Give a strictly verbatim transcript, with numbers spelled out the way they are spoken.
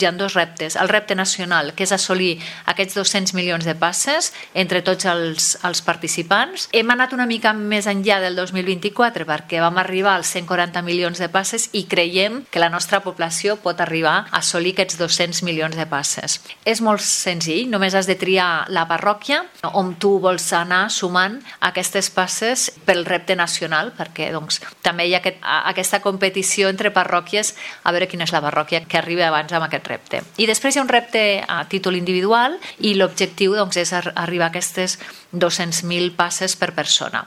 hi ha dos reptes. El repte nacional, que és assolir aquests dos-cents milions de passes entre tots els, els participants. Hem anat una mica més enllà del dos mil vint-i-quatre perquè vam arribar als cent quaranta milions de passes i creiem que la nostra població pot arribar a assolir aquests dos-cents milions de passes. És molt senzill, només has de triar la parròquia on tu vols anar sumant aquestes passes pel repte nacional, perquè doncs, també hi ha aquest, aquesta competició entre parròquies a veure quina és la parròquia que arriba abans amb aquest repte. I després hi ha un repte a títol individual i l'objectiu doncs, és arribar a aquestes dos-cents mil passes per persona.